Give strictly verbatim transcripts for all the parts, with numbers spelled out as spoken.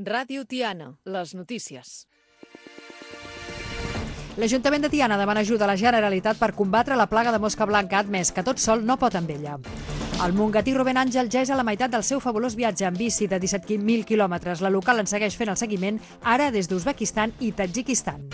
Ràdio Tiana, les notícies. L'Ajuntament de Tiana demana ajuda a la Generalitat per combatre la plaga de mosca blanca, ha admès que tot sol no pot amb ella. El mongatí Rubén Àngel ja és a la meitat del seu fabulós viatge en bici de disset mil quilòmetres. La local en segueix fent el seguiment, ara des d'Uzbekistan i Tadjikistan.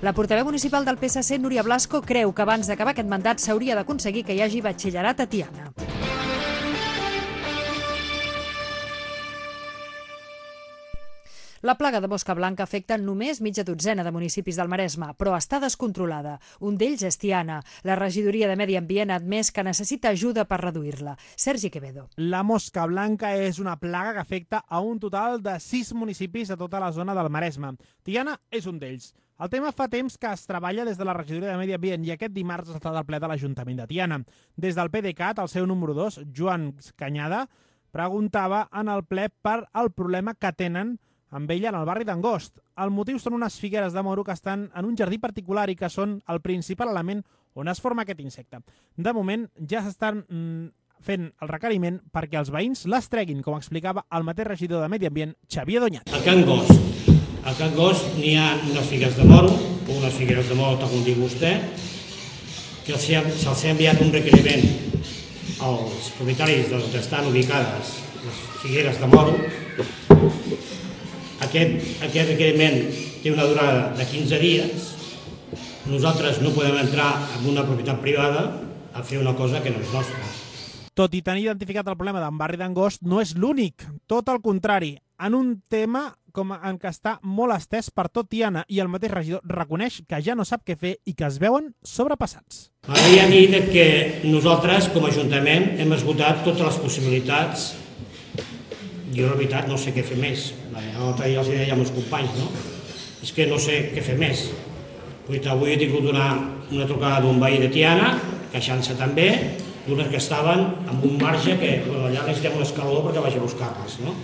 La portaveu municipal del P S C, Núria Blasco, creu que abans d'acabar aquest mandat s'hauria d'aconseguir que hi hagi batxillerat a Tiana. La plaga de mosca blanca afecta només mitja dotzena de municipis del Maresme, però està descontrolada. Un d'ells és Tiana. La regidoria de Medi Ambient ha admès que necessita ajuda per reduir-la. Sergi Quevedo. La mosca blanca és una plaga que afecta a un total de sis municipis de tota la zona del Maresme. Tiana és un d'ells. El tema fa temps que es treballa des de la regidoria de Medi Ambient i aquest dimarts ha estat al ple de l'Ajuntament de Tiana. Des del P D C A T, el seu número dos, Joan Canyada, preguntava en el ple per el problema que tenen amb ella en el barri d'Angost. El motiu són unes figueres de moro que estan en un jardí particular i que són el principal element on es forma aquest insecte. De moment ja s'estan mm, fent el requeriment perquè els veïns les treguin, com explicava el mateix regidor de Medi Ambient, Xavier Doñat. A Can Gost, a Can Gost n'hi ha unes figueres de moro, o unes figueres de moro, tal com diu vostè, que se'ls ha enviat un requeriment als propietaris d'on estan ubicades les figueres de moro. Aquest, aquest requeriment té una durada de quinze dies. Nosaltres no podem entrar en una propietat privada a fer una cosa que no és nostra. Tot i tenir identificat el problema d'en barri d'Angost, no és l'únic. Tot el contrari, en un tema com en què està molt estès per tot Tiana i el mateix regidor reconeix que ja no sap què fer i que es veuen sobrepassats. M'agradaria dir que nosaltres, com a Ajuntament, hem esgotat totes les possibilitats. Jo, la veritat, no sé què fer més. L'altre dia els deia als companys, no? És que no sé què fer més. Avui he tingut una, una trucada d'un veí de Tiana, queixant-se també, d'unes que estaven amb un marge que bueno, allà necessitem un escaló perquè vagi a buscar-les, no?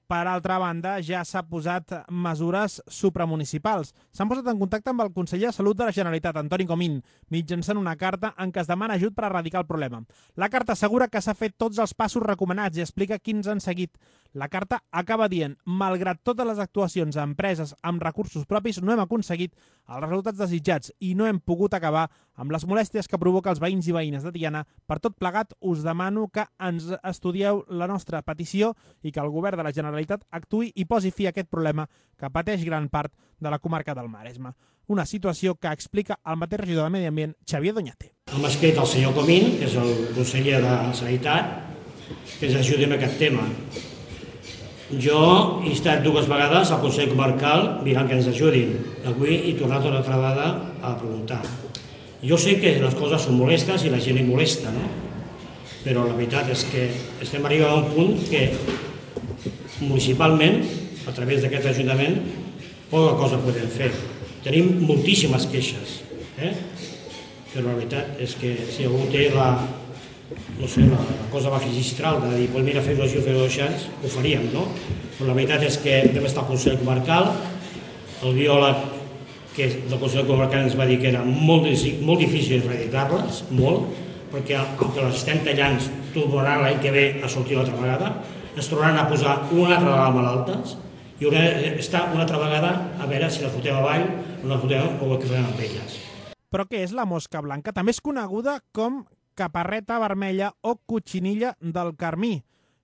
Per altra banda, ja s'ha posat mesures supramunicipals. S'han posat en contacte amb el conseller de Salut de la Generalitat, Antoni Comín, mitjançant una carta en què es demana ajut per erradicar el problema. La carta assegura que s'ha fet tots els passos recomanats i explica quins han seguit. La carta acaba dient, malgrat totes les actuacions a empreses amb recursos propis, no hem aconseguit els resultats desitjats i no hem pogut acabar amb les molèsties que provoca els veïns i veïnes de Tiana. Per tot plegat, us demano que ens estudieu la nostra petició i que el govern de la Generalitat actuï i posi fi a aquest problema que pateix gran part de la comarca del Maresme. Una situació que explica el mateix regidor de Medi Ambient, Xavier Doñate. Hem escrit al senyor Comín, que és el conseller de Sanitat, que ens ajudi en aquest tema. Jo he estat dues vegades al Consell Comarcal mirant que ens ajudin. Avui he tornat una altra vegada a preguntar. Jo sé que les coses són molestes i la gent li molesta, no? Però la veritat és que estem arribant a un punt que municipalment, a través d'aquest Ajuntament, poca cosa podem fer. Tenim moltíssimes queixes, eh? Però la veritat és que si algú té la, no sé, la, la cosa magistral de dir, pues mira, fes-ho així o fes-ho així, ho faríem, no? Però la veritat és que vam estar al Consell Comarcal, el biòleg que és del Consell Comarcal ens va dir que era molt, molt difícil erradicar-les, molt, perquè el que les estem tallant tornaran l'any que ve a sortir l'altra vegada, es tornaran a posar una altra vegada malaltes i haurà d'estar una altra vegada a veure si les fotem avall o les fotem o què farem amb elles. Però què és la mosca blanca? També és coneguda com caparreta vermella o cotxinilla del Carmí.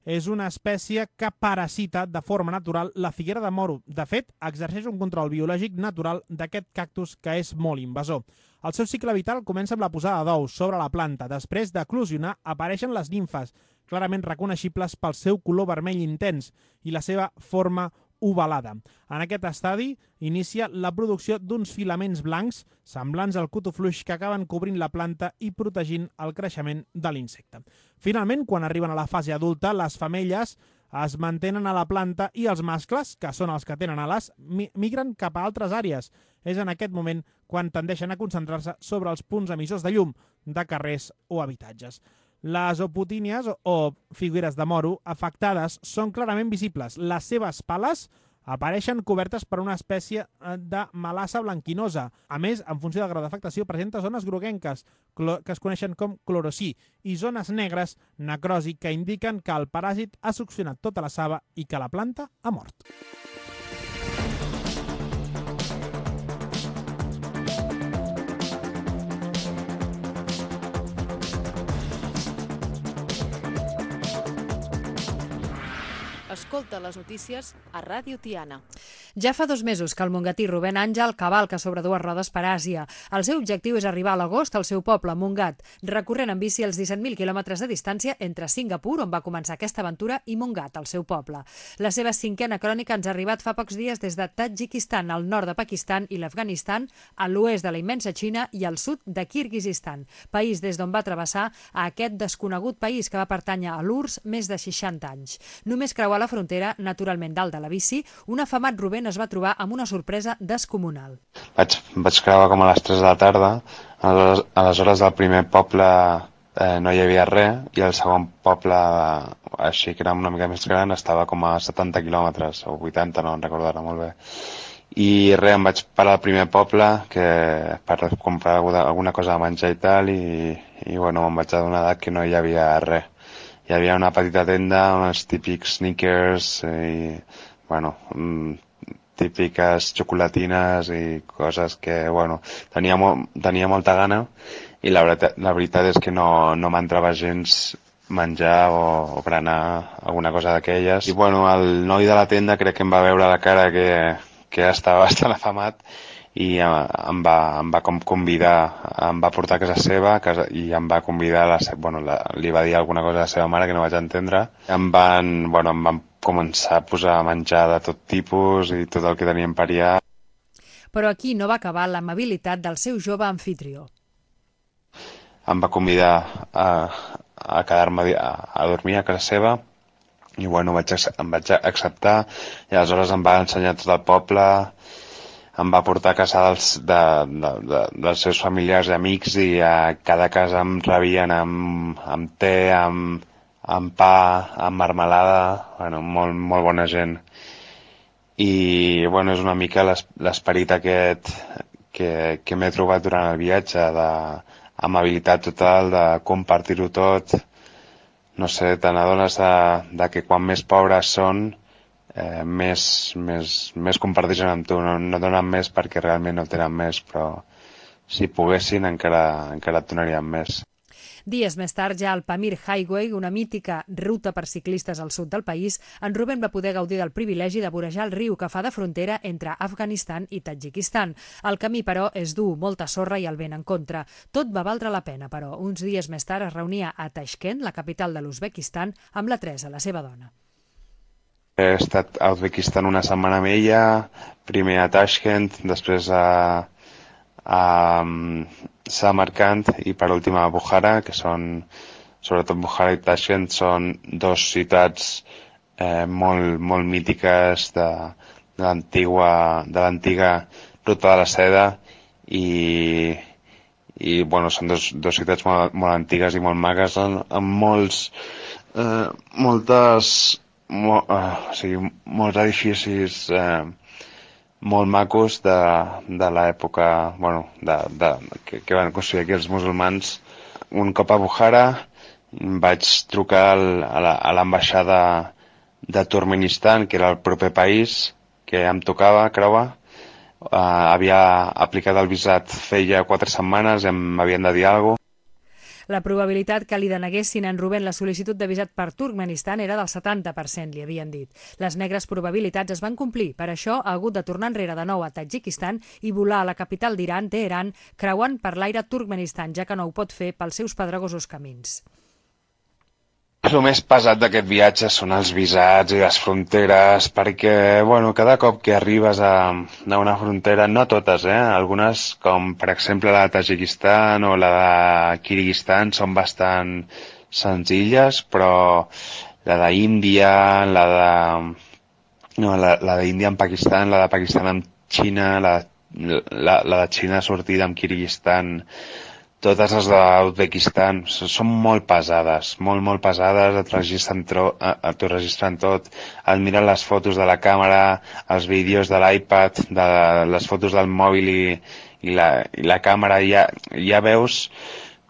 És una espècie que parasita de forma natural la figuera de moro. De fet, exerceix un control biològic natural d'aquest cactus que és molt invasor. El seu cicle vital comença amb la posada d'ous sobre la planta. Després d'eclosionar, apareixen les nimfes, clarament reconeixibles pel seu color vermell intens i la seva forma ovalada. En aquest estadi inicia la producció d'uns filaments blancs semblants al cotofluix que acaben cobrint la planta i protegint el creixement de l'insecte. Finalment, quan arriben a la fase adulta, les femelles es mantenen a la planta i els mascles, que són els que tenen ales, migren cap a altres àrees. És en aquest moment quan tendeixen a concentrar-se sobre els punts emissors de llum de carrers o habitatges. Les opotínies o figueres de moro afectades són clarament visibles. Les seves pales apareixen cobertes per una espècie de melassa blanquinosa. A més, en funció del grau d'afectació, presenta zones groguenques, que es coneixen com clorocí, i zones negres, necrosi, que indiquen que el paràsit ha succionat tota la saba i que la planta ha mort. Escolta les notícies a Ràdio Tiana. Ja fa dos mesos que el mongatí Rubén Àngel cavalca sobre dues rodes per Àsia. El seu objectiu és arribar a l'agost al seu poble, Montgat, recorrent en bici els disset mil quilòmetres de distància entre Singapur, on va començar aquesta aventura, i Montgat, el seu poble. La seva cinquena crònica ens ha arribat fa pocs dies des de Tadjikistan, al nord de Pakistan i l'Afganistan, a l'oest de la immensa Xina i al sud de Kirguizistan, país des d'on va travessar a aquest desconegut país que va pertànyer a l'U R S S més de seixanta anys. Només creuar la frontera, naturalment dalt de la bici, un afamat Rubén es va trobar amb una sorpresa descomunal. Vaig, vaig creuar com a les tres de la tarda, aleshores, aleshores al primer poble eh, no hi havia res, i el segon poble, així que era una mica més gran, estava com a setanta quilòmetres, o vuitanta, no en recordo ara molt bé. I res, em vaig parar al primer poble que, per comprar alguna cosa de menjar i tal, i, i bueno, me'n vaig adonar que no hi havia res. Hi havia una petita tenda, uns típics sneakers i, bueno, típiques xocolatines i coses que, bueno, tenia, mo tenia molta gana i la veritat, la veritat és que no, no m'entrava gens menjar o, o berenar alguna cosa d'aquelles. I, bueno, el noi de la tenda crec que em va veure la cara que, que estava bastant afamat i em va, em va com convidar, em va portar a casa seva casa, i em va convidar, a la seva, bueno, la, li va dir alguna cosa a la seva mare que no vaig entendre. Em van, bueno, em van començar a posar a menjar de tot tipus i tot el que teníem per allà. Però aquí no va acabar l'amabilitat del seu jove anfitrió. Em va convidar a, a quedar-me a, a dormir a casa seva i, bueno, vaig, em vaig acceptar i aleshores em va ensenyar tot el poble. Em va portar a casa dels, de, de, de, dels seus familiars i amics i a cada casa em rebien amb, amb te, amb, amb pa, amb marmelada, bueno, molt, molt bona gent. I, bueno, és una mica l'esperit aquest que, que m'he trobat durant el viatge, d'amabilitat total, de compartir-ho tot. No sé, te n'adones de, de que quan més pobres són, Eh, més, més, més comparteixen amb tu, no, no donen més perquè realment no tenen més, però si poguessin encara, encara et donarien més. Dies més tard, ja al Pamir Highway, una mítica ruta per ciclistes al sud del país, en Rubén va poder gaudir del privilegi de vorejar el riu que fa de frontera entre Afganistan i Tadjikistan. El camí, però, és dur, molta sorra i el vent en contra. Tot va valdre la pena, però. Uns dies més tard es reunia a Tashkent, la capital de l'Uzbekistan, amb la Teresa, la seva dona. He estat a Uzbekistan una setmana amb ella, primer a Tashkent, després a, a Samarkand i per últim a Bukhara, que són, sobretot Bukhara i Tashkent, són dos ciutats eh, molt, molt mítiques de, de l'antiga de l'antiga ruta de la seda i, i bueno, són dos, dos ciutats molt, molt antigues i molt magues, amb, amb molts, eh, moltes... Mol, uh, o sigui, molts edificis eh, molt macos de, de l'època, bueno, de, de, que, que van construir aquí els musulmans. Un cop a Bukhara vaig trucar al, a l'ambaixada de Turkmenistan, que era el proper país que em tocava creuar. Uh, havia aplicat el visat feia quatre setmanes i m'havien de dir alguna cosa. La probabilitat que li deneguessin a en Rubén la sol·licitud de visat per Turkmenistan era del setanta per cent, li havien dit. Les negres probabilitats es van complir. Per això ha hagut de tornar enrere de nou a Tadjikistan i volar a la capital d'Iran, Teheran, creuant per l'aire Turkmenistan, ja que no ho pot fer pels seus pedregosos camins. El més pesat d'aquest viatge són els visats i les fronteres, perquè, bueno, cada cop que arribes a, a una frontera, no totes, eh? Algunes, com per exemple la de Tadjikistan o la de Kirguizistan, són bastant senzilles, però la d'Índia, la de... No, la, la d'Índia amb Pakistan, la de Pakistan amb Xina, la, la, la de Xina sortida amb Kirguizistan, totes les d'Uzbekistan són molt pesades, molt, molt pesades, et registren, tro, et registren tot, et miren les fotos de la càmera, els vídeos de l'iPad, de les fotos del mòbil i, i, la, i la càmera, i ja, ja veus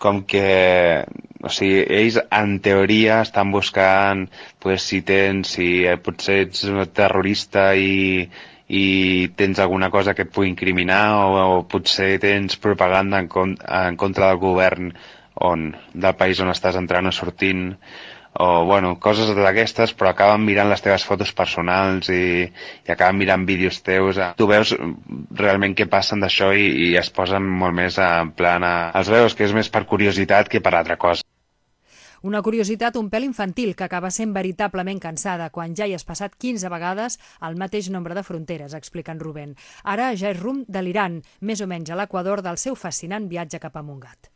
com que, o sigui, ells en teoria estan buscant pues, si tens, si potser ets un terrorista i i tens alguna cosa que et pugui incriminar o, o potser tens propaganda en, con en contra del govern on, del país on estàs entrant o sortint o, bueno, coses d'aquestes, però acaben mirant les teves fotos personals i, i acaben mirant vídeos teus. Tu veus realment què passen d'això i, i es posen molt més en plan a... Els veus que és més per curiositat que per altra cosa. Una curiositat un pèl infantil que acaba sent veritablement cansada quan ja hi has passat quinze vegades el mateix nombre de fronteres, explica en Rubén. Ara ja és rumb de l'Iran, més o menys a l'Equador del seu fascinant viatge cap a Montgat.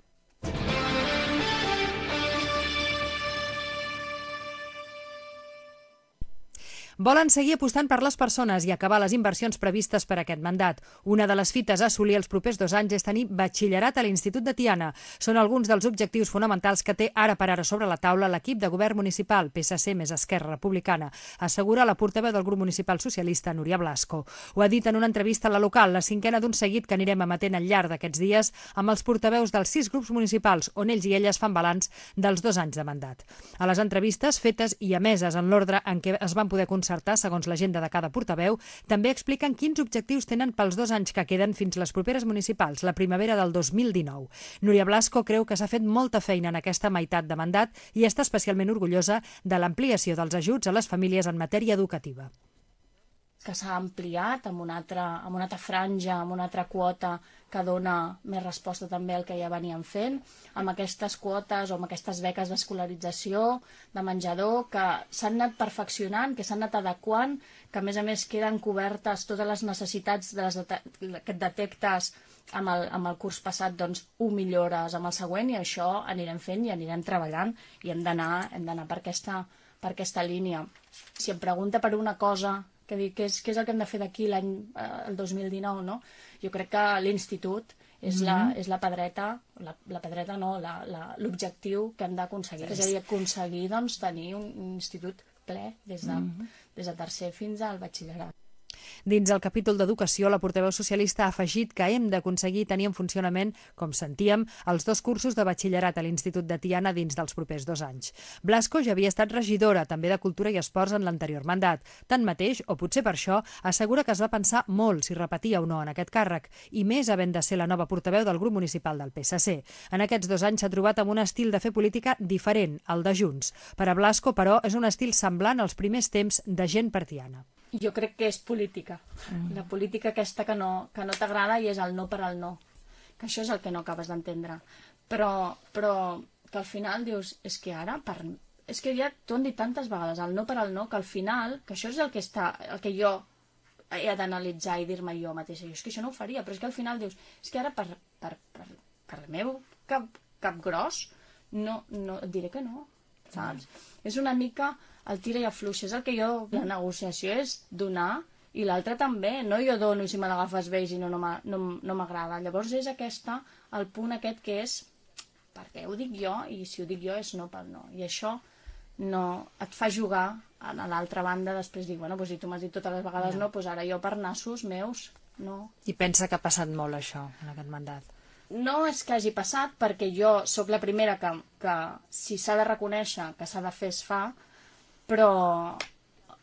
Volen seguir apostant per les persones i acabar les inversions previstes per aquest mandat. Una de les fites a assolir els propers dos anys és tenir batxillerat a l'Institut de Tiana. Són alguns dels objectius fonamentals que té ara per ara sobre la taula l'equip de govern municipal, P S C més Esquerra Republicana, assegura la portaveu del grup municipal socialista, Núria Blasco. Ho ha dit en una entrevista a La Local, la cinquena d'un seguit que anirem emetent al llarg d'aquests dies amb els portaveus dels sis grups municipals, on ells i elles fan balanç dels dos anys de mandat. A les entrevistes fetes i emeses en l'ordre en què es van poder constatar segons l'agenda de cada portaveu, també expliquen quins objectius tenen pels dos anys que queden fins les properes municipals, la primavera del dos mil dinou. Núria Blasco creu que s'ha fet molta feina en aquesta meitat de mandat i està especialment orgullosa de l'ampliació dels ajuts a les famílies en matèria educativa. Que s'ha ampliat amb una, altra, amb una altra franja, amb una altra quota que dona més resposta també al que ja veníem fent, amb aquestes quotes o amb aquestes beques d'escolarització, de menjador, que s'han anat perfeccionant, que s'han anat adequant, que a més a més queden cobertes totes les necessitats de les que et detectes amb el, amb el curs passat, doncs ho millores amb el següent i això anirem fent i anirem treballant i hem d'anar hem d'anar per aquesta, per aquesta línia. Si em pregunta per una cosa que dic, què és, què és el que hem de fer d'aquí l'any eh, el dos mil dinou, no? Jo crec que l'institut és, mm-hmm. la, és la pedreta, la, la pedreta no, l'objectiu que hem d'aconseguir. És a dir, aconseguir doncs, tenir un, un institut ple des de, mm-hmm. des de tercer fins al batxillerat. Dins el capítol d'Educació, la portaveu socialista ha afegit que hem d'aconseguir tenir en funcionament, com sentíem, els dos cursos de batxillerat a l'Institut de Tiana dins dels propers dos anys. Blasco ja havia estat regidora, també de Cultura i Esports en l'anterior mandat. Tanmateix, o potser per això, assegura que es va pensar molt si repetia o no en aquest càrrec, i més havent de ser la nova portaveu del grup municipal del P S C. En aquests dos anys s'ha trobat amb un estil de fer política diferent, el de Junts. Per a Blasco, però, és un estil semblant als primers temps de Gent per Tiana. Jo crec que és política, mm. la política aquesta que no, que no t'agrada i és el no per al no, que això és el que no acabes d'entendre, però, però que al final dius, és que ara, per... és que ja t'ho han dit tantes vegades, el no per al no, que al final, que això és el que, està, el que jo he d'analitzar i dir-me jo mateixa, jo és que això no ho faria, però és que al final dius, és que ara per, per, per, per el meu cap, cap gros, no, no, et diré que no, saps? Mm. És una mica el tira i afluixa, és el que jo, la negociació és donar i l'altre també, no jo dono i si me l'agafes bé i si no, no m'agrada. Llavors és aquesta, el punt aquest que és perquè ho dic jo i si ho dic jo és no pel no. I això no et fa jugar a l'altra banda, després dic, bueno, doncs si tu m'has dit totes les vegades no, doncs ara jo per nassos meus, no. I pensa que ha passat molt això en aquest mandat? No és que hagi passat, perquè jo sóc la primera que, que si s'ha de reconèixer que s'ha de fer es fa, però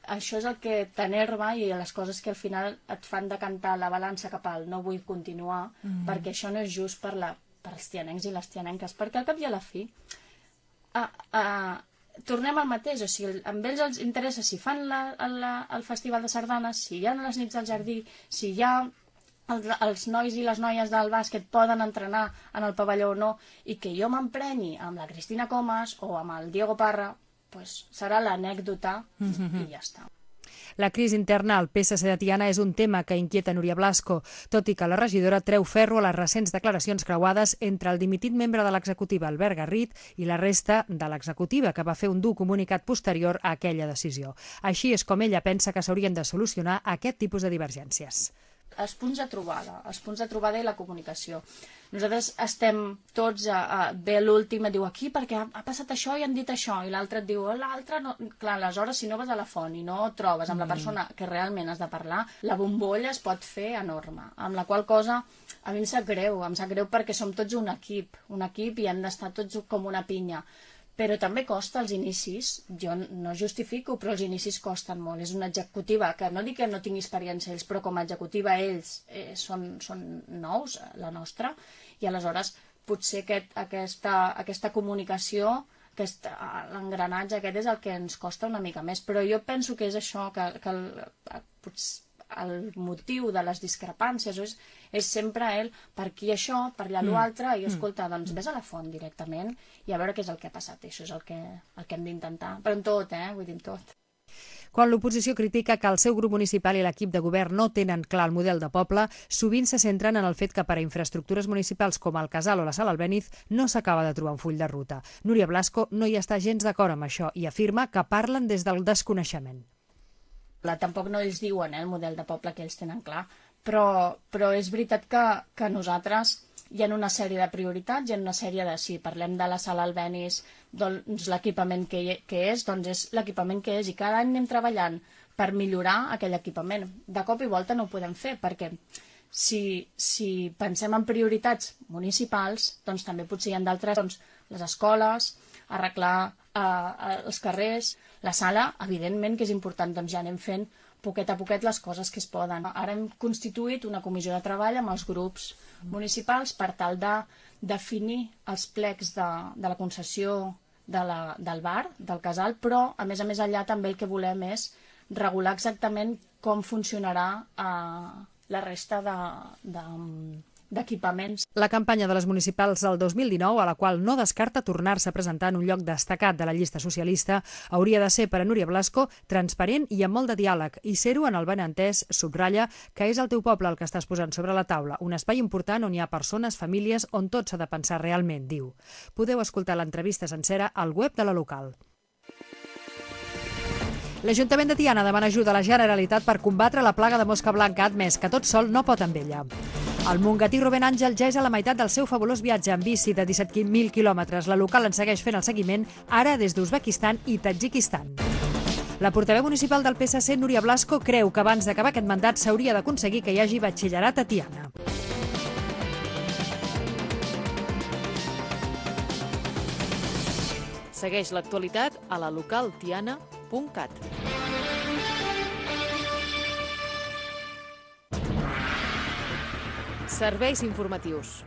això és el que t'enerva i les coses que al final et fan decantar la balança cap al no vull continuar, mm-hmm. perquè això no és just per, la, per els tianencs i les tianenques, perquè al cap i a la fi a, a, tornem al mateix, o sigui, amb ells els interessa si fan la, la, el festival de sardanes, si hi ha les nits al jardí, si hi ha els, els nois i les noies del bàsquet poden entrenar en el pavelló o no, i que jo m'emprenyi amb la Cristina Comas o amb el Diego Parra, pues serà l'anècdota mm-hmm. i ja està. La crisi interna al P S C de Tiana és un tema que inquieta Núria Blasco, tot i que la regidora treu ferro a les recents declaracions creuades entre el dimitit membre de l'executiva Albert Garrit i la resta de l'executiva, que va fer un dur comunicat posterior a aquella decisió. Així és com ella pensa que s'haurien de solucionar aquest tipus de divergències. Els punts de trobada, els punts de trobada i la comunicació. Nosaltres estem tots a, a bé l'últim, et diu aquí perquè ha, ha passat això i han dit això, i l'altre et diu l'altre, no... clar, aleshores si no vas a la font i no et trobes amb la persona que realment has de parlar, la bombolla es pot fer enorme, amb la qual cosa a mi em sap greu, em sap greu perquè som tots un equip, un equip i hem d'estar tots com una pinya. Però també costa els inicis, jo no justifico, però els inicis costen molt. És una executiva que no dic que no tingui experiència ells, però com a executiva ells eh, són, són nous, la nostra, i aleshores potser aquest, aquesta, aquesta comunicació, aquest, l'engranatge aquest és el que ens costa una mica més. Però jo penso que és això, que, que el, potser el motiu de les discrepàncies és, és sempre el per aquí això, per allà l'altre, i escolta, doncs vés a la font directament i a veure què és el que ha passat. I això és el que, el que hem d'intentar. Però en tot, eh? Vull dir, en tot. Quan l'oposició critica que el seu grup municipal i l'equip de govern no tenen clar el model de poble, sovint se centren en el fet que per a infraestructures municipals com el Casal o la Sala Albéniz no s'acaba de trobar un full de ruta. Núria Blasco no hi està gens d'acord amb això i afirma que parlen des del desconeixement. Tampoc no ells diuen eh, el model de poble que ells tenen clar, però, però és veritat que, que nosaltres hi ha una sèrie de prioritats, hi ha una sèrie de, si parlem de la Sala Albéniz, doncs l'equipament que, que és, doncs és l'equipament que és, i cada any anem treballant per millorar aquell equipament. De cop i volta no ho podem fer, perquè si, si pensem en prioritats municipals, doncs també potser hi ha d'altres, doncs les escoles, arreglar eh, els carrers, la sala, evidentment que és important, doncs ja anem fent poquet a poquet les coses que es poden. Ara hem constituït una comissió de treball amb els grups municipals per tal de definir els plecs de, de la concessió de la, del bar, del casal, però a més a més allà també el que volem és regular exactament com funcionarà eh, la resta de, de, d'equipaments. La campanya de les municipals del dos mil dinou, a la qual no descarta tornar-se a presentar en un lloc destacat de la llista socialista, hauria de ser per a Núria Blasco transparent i amb molt de diàleg, i ser-ho en el benentès subratlla que és el teu poble el que estàs posant sobre la taula, un espai important on hi ha persones, famílies, on tot s'ha de pensar realment, diu. Podeu escoltar l'entrevista sencera al web de la local. L'Ajuntament de Tiana demana ajuda a la Generalitat per combatre la plaga de mosca blanca, ha admès que tot sol no pot amb ella. El mongatí Rubén Àngel ja és a la meitat del seu fabulós viatge en bici de disset mil quilòmetres. La local en segueix fent el seguiment, ara des d'Uzbekistan i Tadjikistan. La portaveu municipal del P S C, Núria Blasco, creu que abans d'acabar aquest mandat s'hauria d'aconseguir que hi hagi batxillerat a Tiana. Segueix l'actualitat a la local tiana punt cat. Serveis informatius.